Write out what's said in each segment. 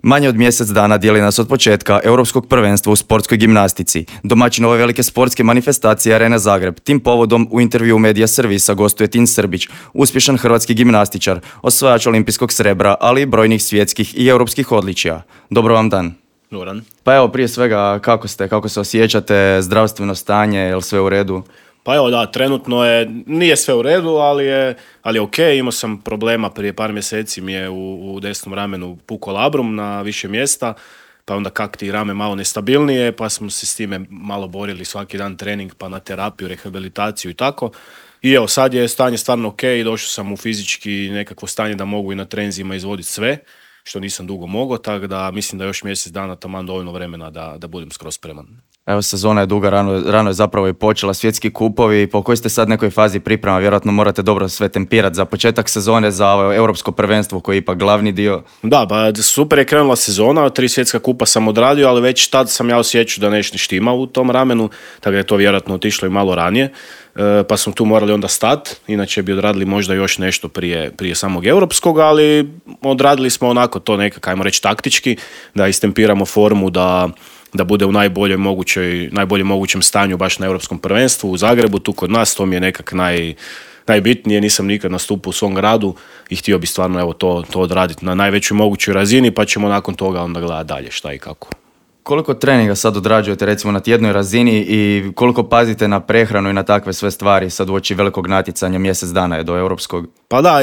Manje od mjesec dana dijeli nas od početka Europskog prvenstva u sportskoj gimnastici. Domaćin ove velike sportske manifestacije Arena Zagreb. Tim povodom u intervju Medija Servisa gostuje Tin Srbić, uspješan hrvatski gimnastičar, osvajač olimpijskog srebra, ali i brojnih svjetskih i europskih odličija. Dobro vam dan. Doran. Pa evo, prije svega, kako se osjećate, zdravstveno stanje, je li sve u redu? Pa evo da, trenutno nije sve u redu, ali je ok. Imao sam problema prije par mjeseci, mi je u desnom ramenu pukao labrum na više mjesta, pa onda kakti rame malo nestabilnije, pa smo se s time malo borili svaki dan trening, pa na terapiju, rehabilitaciju i tako. I evo, sad je stanje stvarno ok, došao sam u fizički nekakvo stanje da mogu i na trenzima izvoditi sve, što nisam dugo mogao, tako da mislim da još mjesec dana taman dovoljno vremena da budem skroz spreman. Evo, sezona je duga, rano je zapravo i počela, svjetski kupovi, po kojoj ste sad nekoj fazi priprema, vjerojatno morate dobro sve tempirati za početak sezone, za ovo europsko prvenstvo koji je ipak glavni dio. Da, pa super je krenula sezona, 3 svjetska kupa sam odradio, ali već tad sam ja osjećao da nešto štima u tom ramenu, tako da je to vjerojatno otišlo i malo ranije, pa smo tu morali onda stati, inače bi odradili možda još nešto prije samog europskog, ali odradili smo onako to nekako, ajmo reći taktički, da istempiramo formu, da bude u najboljem mogućem stanju baš na europskom prvenstvu u Zagrebu, tu kod nas, to mi je nekak najbitnije, nisam nikad nastupao u svom gradu i htio bi stvarno evo to odraditi na najvećoj mogućoj razini, pa ćemo nakon toga onda gledati dalje šta i kako. Koliko treninga sad odrađujete recimo na tjednoj razini i koliko pazite na prehranu i na takve sve stvari sad uoči velikog natjecanja, mjesec dana je do europskog? Pa da,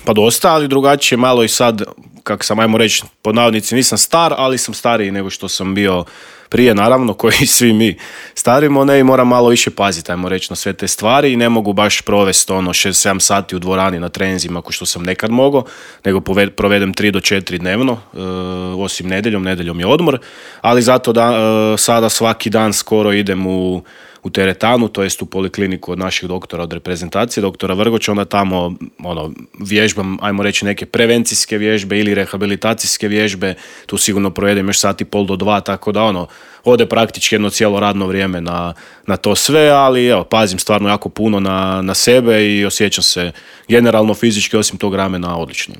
pa dosta, ali drugačije malo i sad, kako sam ajmo reći, pod navodnici nisam star, ali sam stariji nego što sam bio prije, naravno, koji svi mi starimo, ne, i moram malo više paziti, ajmo reći, na sve te stvari i ne mogu baš provesti 6-7 sati u dvorani na trenzima ako što sam nekad mogao, nego provedem 3 do 4 dnevno, osim nedjeljom je odmor, ali zato sada svaki dan skoro idem u teretanu, to jest u polikliniku od naših doktora od reprezentacije, doktora Vrgoća, onda tamo vježbam, ajmo reći, neke prevencijske vježbe ili rehabilitacijske vježbe, tu sigurno provedem još sat i pol do 2, tako da ode praktički jedno cijelo radno vrijeme na to sve, ali evo, pazim stvarno jako puno na sebe i osjećam se generalno fizički osim tog ramena odlično.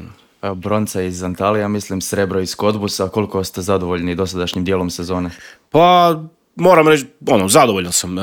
Bronca iz Antalija, mislim, srebro iz Kotbusa, koliko ste zadovoljni dosadašnjim dijelom sezone? Pa moram reći, zadovoljan sam.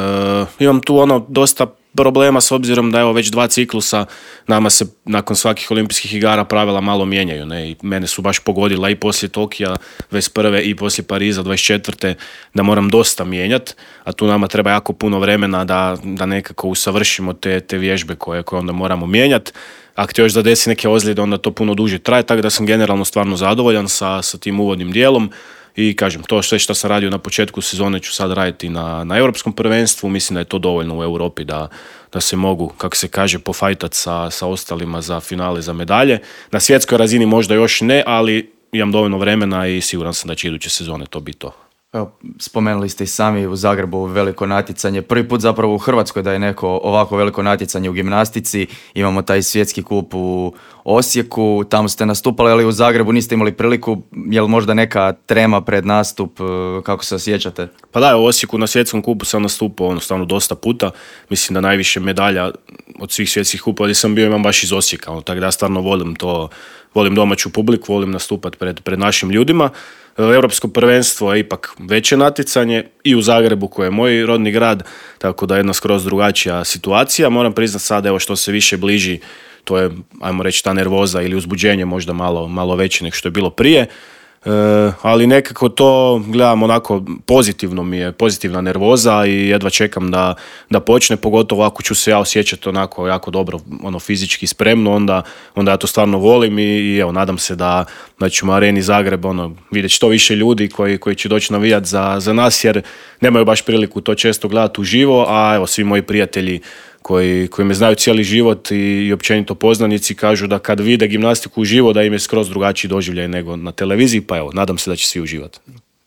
Imam tu dosta problema s obzirom da evo već 2 ciklusa nama se nakon svakih olimpijskih igara pravila malo mijenjaju. Ne? I mene su baš pogodila i poslije Tokija 21. i poslije Pariza 24. da moram dosta mijenjati, a tu nama treba jako puno vremena da nekako usavršimo te vježbe koje onda moramo mijenjati. Ako ti još zadesi neke ozljede, onda to puno duže traje, tako da sam generalno stvarno zadovoljan sa tim uvodnim dijelom. I kažem, to sve što sam radio na početku sezone ću sad raditi na europskom prvenstvu. Mislim da je to dovoljno u Europi da se mogu, kako se kaže, pofajtati sa ostalima za finale, za medalje. Na svjetskoj razini možda još ne, ali imam dovoljno vremena i siguran sam da će iduće sezone to biti to. Evo, spomenuli ste i sami u Zagrebu veliko natjecanje. Prvi put zapravo u Hrvatskoj da je neko ovako veliko natjecanje u gimnastici. Imamo taj svjetski kup u Osijeku, tamo ste nastupali, ali u Zagrebu niste imali priliku. Je li možda neka trema pred nastup? Kako se osjećate? Pa da, u Osijeku na svjetskom kupu sam nastupao stvarno dosta puta. Mislim da najviše medalja od svih svjetskih kupa gdje sam bio imam baš iz Osijeka. Tako da ja stvarno volim domaću publiku, volim nastupati pred našim ljudima. Europsko prvenstvo je ipak veće natjecanje i u Zagrebu koji je moj rodni grad, tako da je jedna skroz drugačija situacija. Moram priznati sad, evo, što se više bliži, to je, ajmo reći, ta nervoza ili uzbuđenje možda malo veće nego što je bilo prije. Ali nekako to gledam onako pozitivno, mi je pozitivna nervoza i jedva čekam da počne, pogotovo ako ću se ja osjećati onako jako dobro, fizički spremno, onda ja to stvarno volim i evo, nadam se da ćemo u Areni Zagreb vidjeti što više ljudi koji će doći navijati za nas, jer nemaju baš priliku to često gledati uživo, a evo, svi moji prijatelji koji me znaju cijeli život i općenito poznanici kažu da kad vide gimnastiku uživo da im je skroz drugačiji doživljaj nego na televiziji, pa evo, nadam se da će svi uživati.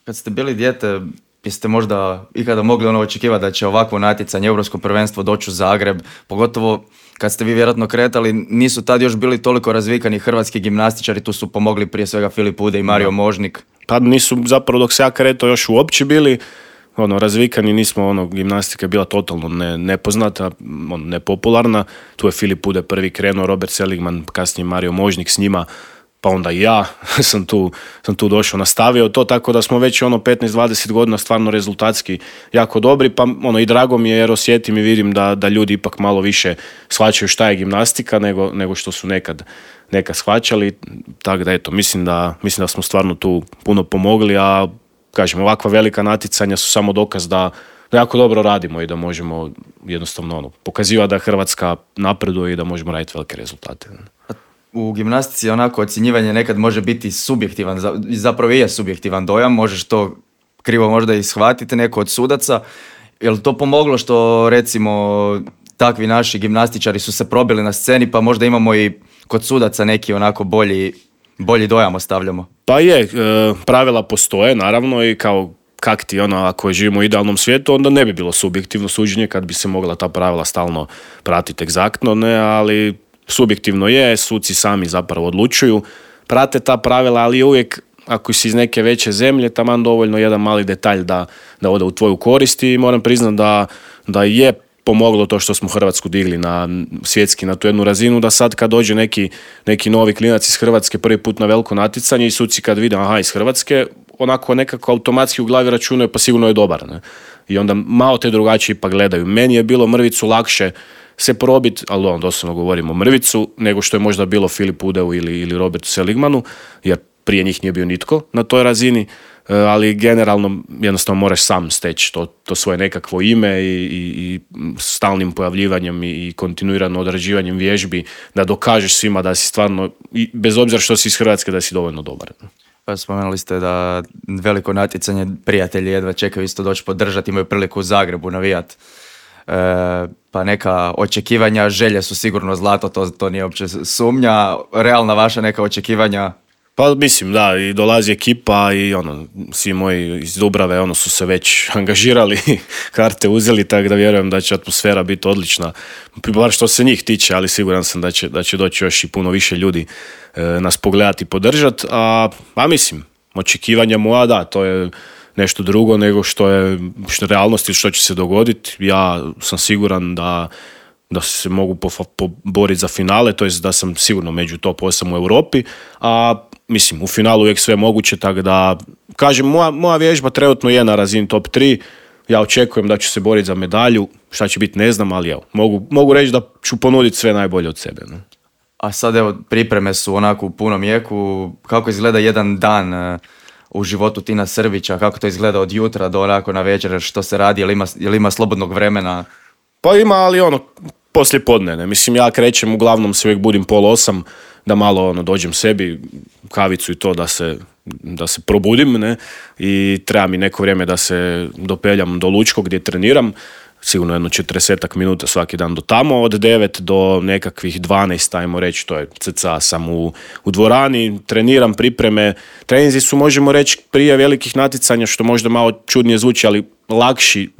Kad ste bili dijete, jeste možda ikada mogli očekivati da će ovakvo natjecanje, europsko prvenstvo doći u Zagreb, pogotovo kad ste vi vjerojatno kretali, nisu tad još bili toliko razvikani hrvatski gimnastičari, tu su pomogli prije svega Filip Ude i Mario Možnik. Pa nisu zapravo dok se ja kretao još uopće bili razvikani, nismo, gimnastika je bila totalno nepoznata, nepopularna. Tu je Filip Ude prvi krenuo, Robert Seligman, kasnije Mario Možnik s njima. pa onda i ja sam tu došao, nastavio to, tako da smo već 15-20 godina stvarno rezultatski jako dobri, pa i drago mi je jer osjetim i vidim da ljudi ipak malo više shvaćaju šta je gimnastika nego što su nekad shvaćali, tako da eto, mislim da smo stvarno tu puno pomogli, a kažem, ovakva velika natjecanja su samo dokaz da jako dobro radimo i da možemo jednostavno pokazivati da Hrvatska napreduje i da možemo raditi velike rezultate. U gimnastici onako ocjenjivanje nekad može biti subjektivan, zapravo i je subjektivan dojam, možeš to krivo možda i shvatiti neko od sudaca. Je li to pomoglo što recimo takvi naši gimnastičari su se probili na sceni, pa možda imamo i kod sudaca neki onako bolji dojam ostavljamo? Pa je, pravila postoje naravno i kao kak ti ako živimo u idealnom svijetu, onda ne bi bilo subjektivno suđenje kad bi se mogla ta pravila stalno pratiti egzaktno, ne, ali subjektivno je, suci sami zapravo odlučuju, prate ta pravila, ali uvijek ako si iz neke veće zemlje, taman dovoljno jedan mali detalj da ode u tvoju korist i moram priznati da je pomoglo to što smo Hrvatsku digli svjetski na tu jednu razinu, da sad kad dođe neki novi klinac iz Hrvatske prvi put na veliko natjecanje i suci kad vide iz Hrvatske, onako nekako automatski u glavi računaju pa sigurno je dobar. Ne? I onda malo te drugačije pa gledaju. Meni je bilo mrvicu lakše se probiti, ali doslovno govorimo mrvicu, nego što je možda bilo Filipu Udeu ili Robertu Seligmanu, jer prije njih nije bio nitko na toj razini, ali generalno jednostavno moraš sam steći to svoje nekakvo ime i stalnim pojavljivanjem i kontinuirano odrađivanjem vježbi da dokažeš svima da si stvarno, bez obzira što si iz Hrvatske, da si dovoljno dobar. Pa spomenuli ste da veliko natjecanje prijatelji jedva čekaju isto doći podržati, imaju priliku u Zagrebu navijat. Pa neka očekivanja, želje su sigurno zlato, to nije uopće sumnja. Realna vaša neka očekivanja? Pa mislim da, i dolazi ekipa i svi moji iz Dubrave su se već angažirali, karte uzeli, tako da vjerujem da će atmosfera biti odlična, bar što se njih tiče, ali siguran sam da će doći još i puno više ljudi nas pogledati i podržati, a mislim, očekivanja moja, da, to je nešto drugo nego što je realnost i što će se dogoditi. Ja sam siguran da se mogu poboriti za finale, to jest da sam sigurno među top 8 u Europi, a mislim, u finalu uvijek sve moguće, tako da, kažem, moja vježba trenutno je na razini top 3, ja očekujem da ću se boriti za medalju, šta će biti ne znam, ali evo, mogu reći da ću ponuditi sve najbolje od sebe. Ne? A sad evo, pripreme su onako u punom jeku, kako izgleda jedan dan u životu Tina Srbića, kako to izgleda od jutra do onako na večer, što se radi, je li ima slobodnog vremena? Pa ima, ali poslije podne, ne? Mislim, ja krećem, uglavnom se uvijek budim 7:30, da malo dođem sebi, kavicu i to da se probudim, ne? I treba mi neko vrijeme da se dopeljam do Lučkog gdje treniram, sigurno 40 minuta svaki dan do tamo, od 9 do nekakvih 12, ajmo reći, to je cca sam u dvorani, treniram, pripreme, treninzi su, možemo reći, prije velikih natjecanja, što možda malo čudnije zvuči, ali lakši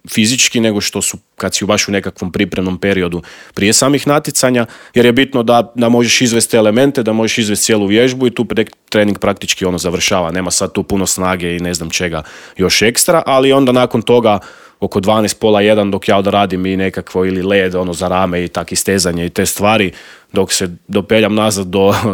fizički nego što su kad si baš u nekakvom pripremnom periodu prije samih natjecanja, jer je bitno da možeš izvesti elemente, da možeš izvesti cijelu vježbu i tu trening praktički završava. Nema sad tu puno snage i ne znam čega još ekstra, ali onda nakon toga oko 12, pola 1 dok ja odradim i nekakvo ili led za rame i tak istezanje i te stvari, dok se dopeljam nazad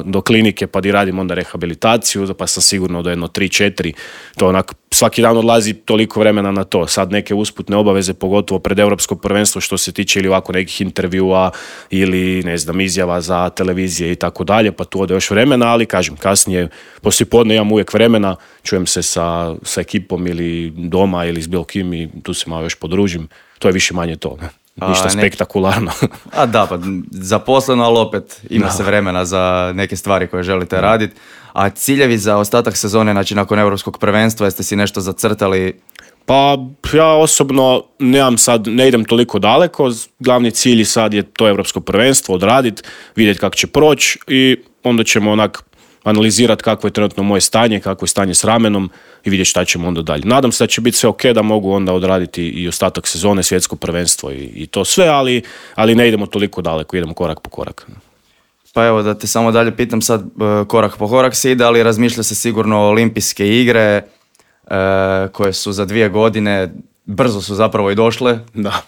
do klinike pa di radim onda rehabilitaciju, pa sam sigurno do 3-4, to onak svaki dan odlazi toliko vremena na to. Sad neke usputne obaveze, pogotovo pred Europsko prvenstvo što se tiče ili ovako nekih intervjua ili ne znam izjava za televizije i tako dalje, pa tu ode još vremena, ali kažem kasnije poslijepodne imam uvijek vremena, čujem se sa ekipom ili doma ili s bilo kim i tu se malo još podružim. To je više manje to, ne? Ništa spektakularno. A da, pa zaposleno, ali opet ima se vremena za neke stvari koje želite raditi. A ciljevi za ostatak sezone, znači nakon Europskog prvenstva, jeste si nešto zacrtali? Pa ja osobno ne idem toliko daleko, glavni cilj sad je to Europsko prvenstvo odraditi, vidjeti kako će proći i onda ćemo analizirati kakvo je trenutno moje stanje, kakvo je stanje s ramenom i vidjeti šta ćemo onda dalje. Nadam se da će biti sve ok, da mogu onda odraditi i ostatak sezone, svjetsko prvenstvo i to sve, ali ne idemo toliko daleko, idemo korak po korak. Pa evo da te samo dalje pitam sad, korak po korak se ide, ali razmišlja se sigurno o olimpijske igre koje su za 2 godine, brzo su zapravo i došle. Da.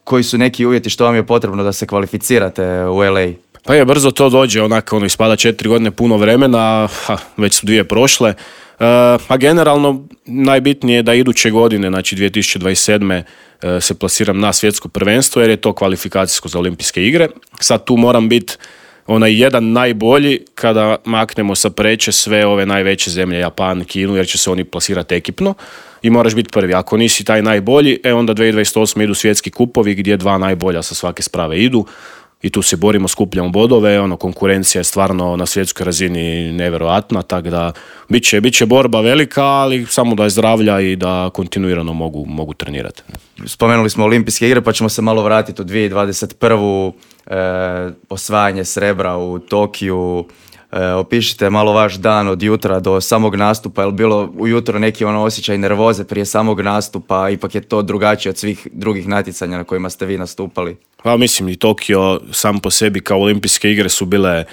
Koji su neki uvjeti, što vam je potrebno da se kvalificirate u LA? Pa je, brzo to dođe, onako ispada 4 godine puno vremena, već su 2 prošle. A generalno najbitnije je da iduće godine, znači 2027. Se plasiram na svjetsko prvenstvo jer je to kvalifikacijsko za olimpijske igre. Sad tu moram biti onaj jedan najbolji kada maknemo sa preče sve ove najveće zemlje, Japan, Kinu, jer će se oni plasirati ekipno i moraš biti prvi. Ako nisi taj najbolji, onda 2028. idu svjetski kupovi gdje 2 najbolja sa svake sprave idu i tu se borimo, skupljamo bodove, konkurencija je stvarno na svjetskoj razini nevjerojatna, tako da bit će borba velika, ali samo da je zdravlja i da kontinuirano mogu trenirati. Spomenuli smo olimpijske igre, pa ćemo se malo vratiti u 2021. Osvajanje srebra u Tokiju. Opišite malo vaš dan od jutra do samog nastupa. Je li bilo ujutro neki osjećaj nervoze prije samog nastupa? Ipak je to drugačije od svih drugih natjecanja na kojima ste vi nastupali. Pa mislim i Tokio sam po sebi kao olimpijske igre su bile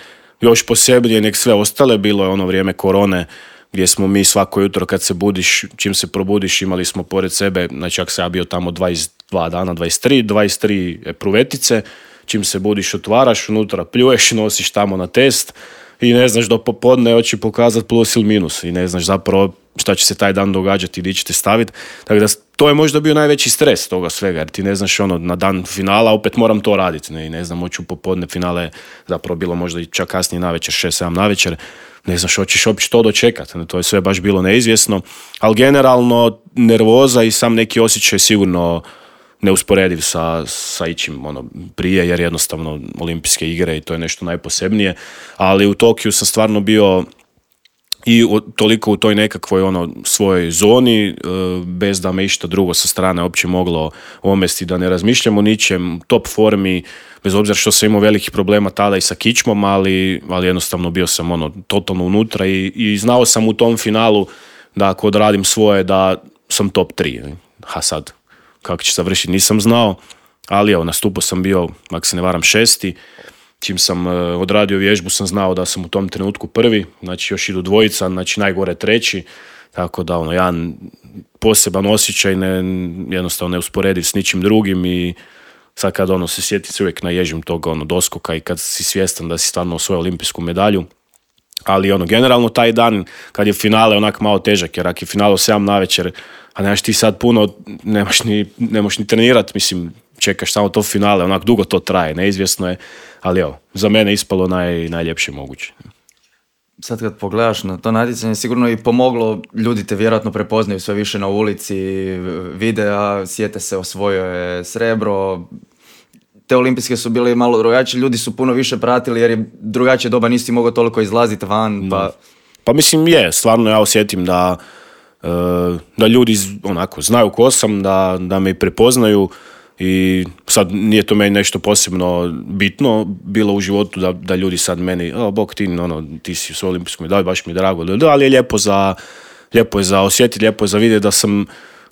još posebnije nek sve ostale. Bilo je ono vrijeme korone gdje smo mi svako jutro kad se budiš, čim se probudiš, imali smo pored sebe, znači ako sam ja bio tamo 22 dana, 23 epruvetice, čim se budiš otvaraš, unutra pljuješ, nosiš tamo na test i ne znaš do popodne hoće pokazati plus ili minus i ne znaš zapravo šta će se taj dan događati i gdje ćete staviti. Tako da to je možda bio najveći stres toga svega, jer ti ne znaš na dan finala opet moram to raditi. Ne znam, hoću popodne finale, zapravo bilo možda i čak kasnije navečer, 6-7 navečer, ne znaš hoćeš uopće to dočekati. To je sve baš bilo neizvjesno, ali generalno nervoza i sam neki osjećaj sigurno neusporediv sa ičim prije, jer jednostavno olimpijske igre i to je nešto najposebnije, ali u Tokiju sam stvarno bio i toliko u toj nekakvoj svojoj zoni, bez da me išta drugo sa strane uopće moglo omesti, da ne razmišljam o ničem, top formi, bez obzira što sam imao velikih problema tada i sa kičmom, ali jednostavno bio sam totalno unutra i znao sam u tom finalu da ako odradim svoje da sam top 3. A sad, kako će završiti, nisam znao, ali nastupao sam bio, ako se ne varam, 6. Čim sam odradio vježbu sam znao da sam u tom trenutku prvi, znači još idu dvojica, znači najgore 3. Tako da jedan poseban osjećaj, jednostavno neusporediv s ničim drugim i sad kad se sjetim se uvijek naježim tog doskoka i kad si svjestan da si stvarno osvojio olimpijsku medalju. Ali generalno taj dan kad je finale onak malo težak, jer ako je finale u 7 navečer, a nemaš ti sad puno, nemaš ni trenirati, mislim, čekaš samo to finale, onak dugo to traje, neizvjesno je, ali za mene ispalo najljepše moguće. Sad kad pogledaš na to natjecanje, sigurno i pomoglo, ljudi te vjerojatno prepoznaju sve više na ulici, videa, sjete se osvojio je srebro, te olimpijske su bile malo drugačije, ljudi su puno više pratili jer je drugačije doba, nisi mogao toliko izlaziti van. Pa mislim stvarno ja osjetim da ljudi znaju ko sam, da me prepoznaju i sad nije to meni nešto posebno bitno bilo u životu da ljudi sad meni, bok ti si u svoj olimpijskom medalju, baš mi je drago, ali je lijepo je za osjetiti, lijepo je za vidjeti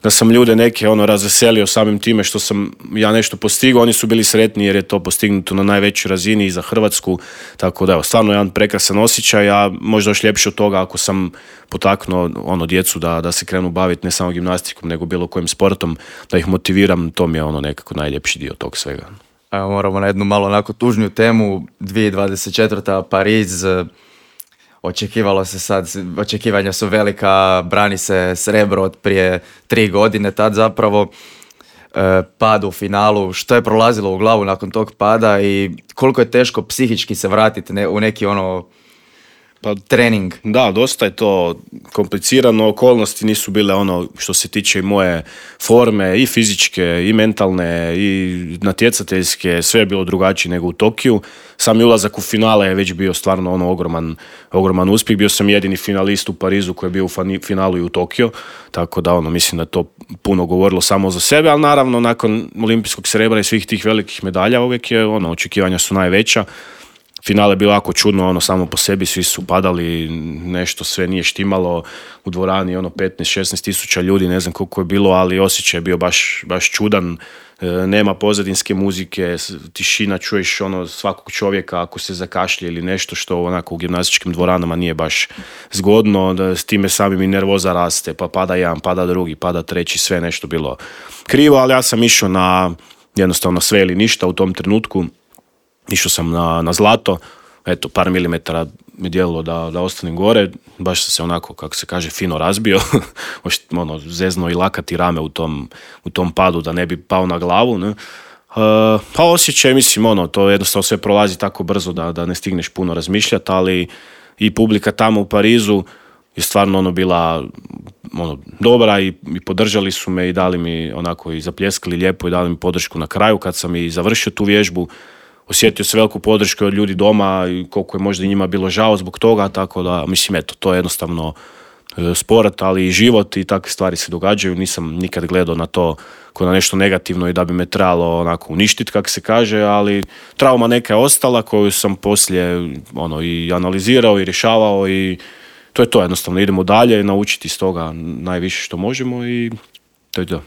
da sam ljude neke razveselio samim time što sam ja nešto postigao, oni su bili sretni jer je to postignuto na najvećoj razini i za Hrvatsku, tako da stvarno jedan prekrasan osjećaj, a možda još ljepše od toga ako sam potaknuo djecu da se krenu baviti ne samo gimnastikom nego bilo kojim sportom, da ih motiviram, to mi je nekako najljepši dio tog svega. Evo moramo na jednu malo onako tužniju temu, 2024. Pariz, očekivalo se sad, očekivanja su velika, brani se srebro od prije 3 godine, tad zapravo pad u finalu, što je prolazilo u glavu nakon tog pada i koliko je teško psihički se vratiti u neki trening. Da, dosta je to komplicirano, okolnosti nisu bile što se tiče i moje forme, i fizičke, i mentalne, i natjecateljske, sve je bilo drugačije nego u Tokiju. Sami ulazak u finale je već bio stvarno ogroman uspjeh, bio sam jedini finalist u Parizu koji je bio u finalu i u Tokiju, tako da mislim da to puno govorilo samo za sebe, ali naravno nakon olimpijskog srebra i svih tih velikih medalja uvijek je očekivanja su najveća. Finale je bilo jako čudno, samo po sebi, svi su padali, nešto sve nije štimalo, u dvorani 15-16 tisuća ljudi, ne znam koliko je bilo, ali osjećaj je bio baš čudan, nema pozadinske muzike, tišina, čuješ svakog čovjeka ako se zakašlje ili nešto što u gimnastičkim dvoranama nije baš zgodno, s time samim i nervoza raste, pa pada jedan, pada drugi, pada treći, sve nešto bilo krivo, ali ja sam išao na jednostavno sve ili ništa u tom trenutku. išao sam na zlato, eto, par milimetara mi djelilo da ostanem gore, baš sam se onako, kako se kaže, fino razbio, zezno i lakati rame u tom padu da ne bi pao na glavu, ne? Pa osjećaj, mislim, to jednostavno sve prolazi tako brzo da ne stigneš puno razmišljati, ali i publika tamo u Parizu je stvarno bila dobra i podržali su me i dali mi onako i zapljeskali lijepo i dali mi podršku na kraju kad sam i završio tu vježbu. Osjetio se veliku podršku od ljudi doma i koliko je možda i njima bilo žao zbog toga, tako da, mislim, eto, to je jednostavno sport, ali i život i takve stvari se događaju. Nisam nikad gledao na to kao na nešto negativno i da bi me trebalo onako uništiti, kako se kaže, ali trauma neka je ostala koju sam poslije i analizirao i rješavao i to je to, jednostavno idemo dalje, naučiti iz toga najviše što možemo i to je to.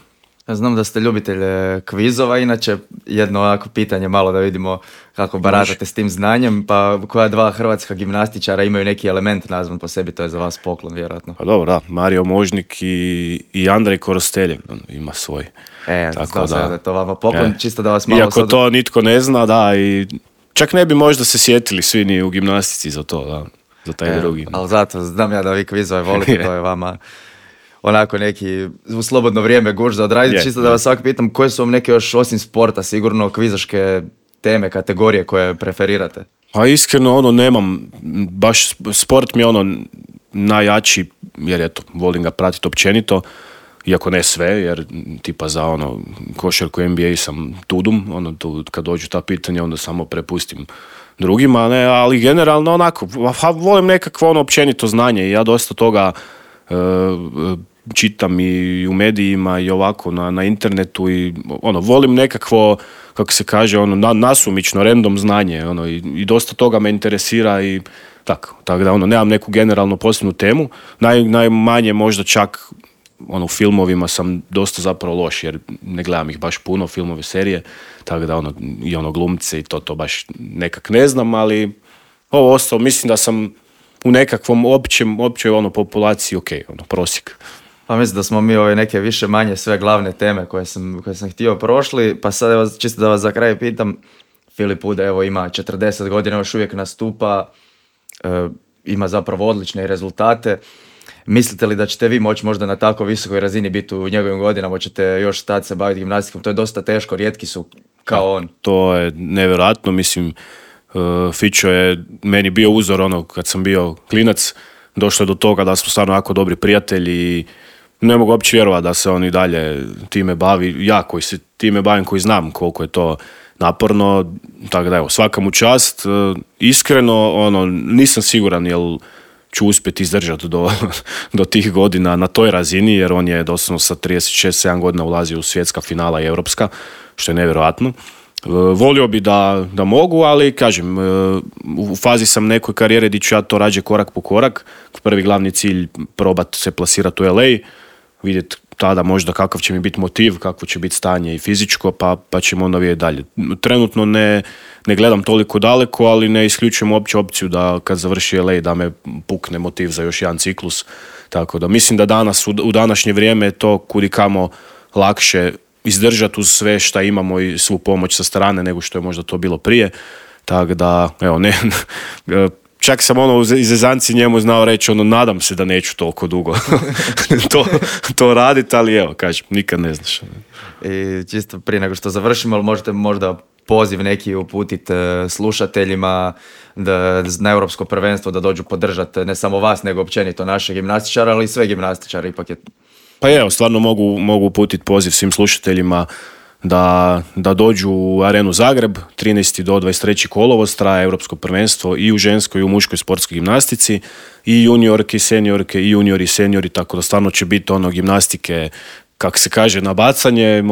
Ja znam da ste ljubitelj kvizova, inače jedno ovako pitanje malo da vidimo kako baratate s tim znanjem, pa koja dva hrvatska gimnastičara imaju neki element nazvan po sebi, to je za vas poklon vjerojatno. Pa dobro, da, Mario Možnik i Andrej Korosteljev ima svoj. Tako da je to vama poklon, čisto da vas malo... Iako to nitko ne zna, da, i čak ne bi možda se sjetili svi ni u gimnastici za to, da, za taj drugi. Ali zato znam ja da vi kvizove volite, to je vama... onako neki u slobodno vrijeme guž za odraditi, čisto da vas svak pitam koje su vam neke još osim sporta sigurno kvizaške teme, kategorije koje preferirate? Pa iskreno nemam, baš sport mi je najjači, jer eto, volim ga pratiti općenito, iako ne sve, jer tipa za košarku NBA sam tudum, kad dođu ta pitanja onda samo prepustim drugima, ne, ali generalno onako, volim nekakvo općenito znanje i ja dosta toga čitam i u medijima i ovako na internetu i volim nekakvo, kako se kaže, nasumično, random znanje i dosta toga me interesira i tako da nemam neku generalno posebnu temu. Najmanje možda čak u filmovima sam dosta zapravo loš jer ne gledam ih baš puno, filmove, serije, tako da i glumce i to baš nekak ne znam, ali ovo ostalo mislim da sam u nekakvom općoj populaciji prosjek. Pa mislim da smo mi ove neke više manje sve glavne teme koje sam htio prošli, pa sad evo čisto da vas za kraj pitam, Filip Ude evo ima 40 godina, još uvijek nastupa, ima zapravo odlične rezultate. Mislite li da ćete vi moći možda na tako visokoj razini biti u njegovim godinama, hoćete još stati se baviti gimnastikom? To je dosta teško, rijetki su kao on. To je nevjerojatno, mislim, Fićo je meni bio uzor kad sam bio klinac, došlo je do toga da smo stvarno jako dobri prijatelji i ne mogu uopće vjerovati da se on i dalje time bavi, ja koji se time bavim, koji znam koliko je to naporno, tako da evo, svaka mu čast, iskreno, nisam siguran jel ću uspjeti izdržati do tih godina na toj razini, jer on je doslovno sa 36-7 godina ulazio u svjetska finala i europska, što je nevjerojatno. Volio bi da mogu, ali kažem, u fazi sam nekoj karijere gdje ću ja to rađe korak po korak. Prvi glavni cilj probati se plasirati u LA, vidjeti tada možda kakav će mi biti motiv, kakvo će biti stanje i fizičko, pa ćemo onda vidjeti dalje. Trenutno ne gledam toliko daleko, ali ne isključujem uopće opciju da kad završi LA da me pukne motiv za još jedan ciklus. Tako da mislim da danas, u današnje vrijeme je to kudikamo lakše izdržati uz sve šta imamo i svu pomoć sa strane nego što je možda to bilo prije. Tako da, evo, čak sam iz zezanci njemu znao reći, nadam se da neću toliko dugo to raditi, ali evo, kažem, nikad ne znaš. I čisto prije nego što završimo, ali možete možda poziv neki uputiti slušateljima na Europsko prvenstvo da dođu podržati ne samo vas, nego općenito naše gimnastičare, ali i sve gimnastičare ipak je... Pa evo, stvarno mogu uputiti poziv svim slušateljima da dođu u Arenu Zagreb, 13. do 23. kolovoz traje Europsko prvenstvo i u ženskoj i u muškoj sportskoj gimnastici, i juniorke i seniorke, i juniori i seniori, tako da stvarno će biti gimnastike, kako se kaže, na bacanje,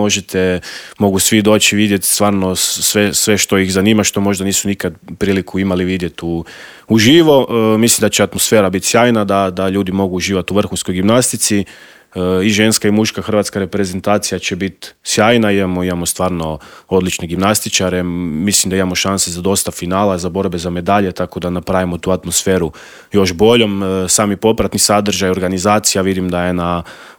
mogu svi doći vidjeti stvarno sve što ih zanima, što možda nisu nikad priliku imali vidjeti uživo. Mislim da će atmosfera biti sjajna, da ljudi mogu uživati u vrhunskoj gimnastici. i ženska i muška hrvatska reprezentacija će biti sjajna, imamo stvarno odlične gimnastičare, mislim da imamo šanse za dosta finala, za borbe za medalje, tako da napravimo tu atmosferu još boljom. Sami popratni sadržaj, organizacija, vidim da je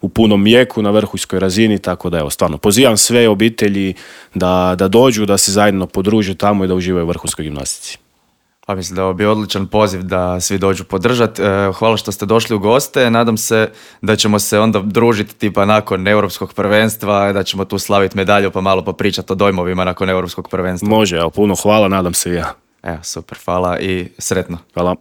u punom jeku, na vrhunskoj razini, tako da evo, stvarno pozivam sve obitelji da dođu, da se zajedno podruže tamo i da uživaju u vrhunskoj gimnastici. Pa mislim da je ovo bio odličan poziv da svi dođu podržati. Hvala što ste došli u goste. Nadam se da ćemo se onda družiti tipa nakon Europskog prvenstva, da ćemo tu slaviti medalju pa malo popričati o dojmovima nakon Europskog prvenstva. Može, evo, puno hvala, nadam se i ja. Evo, super, hvala i sretno. Hvala.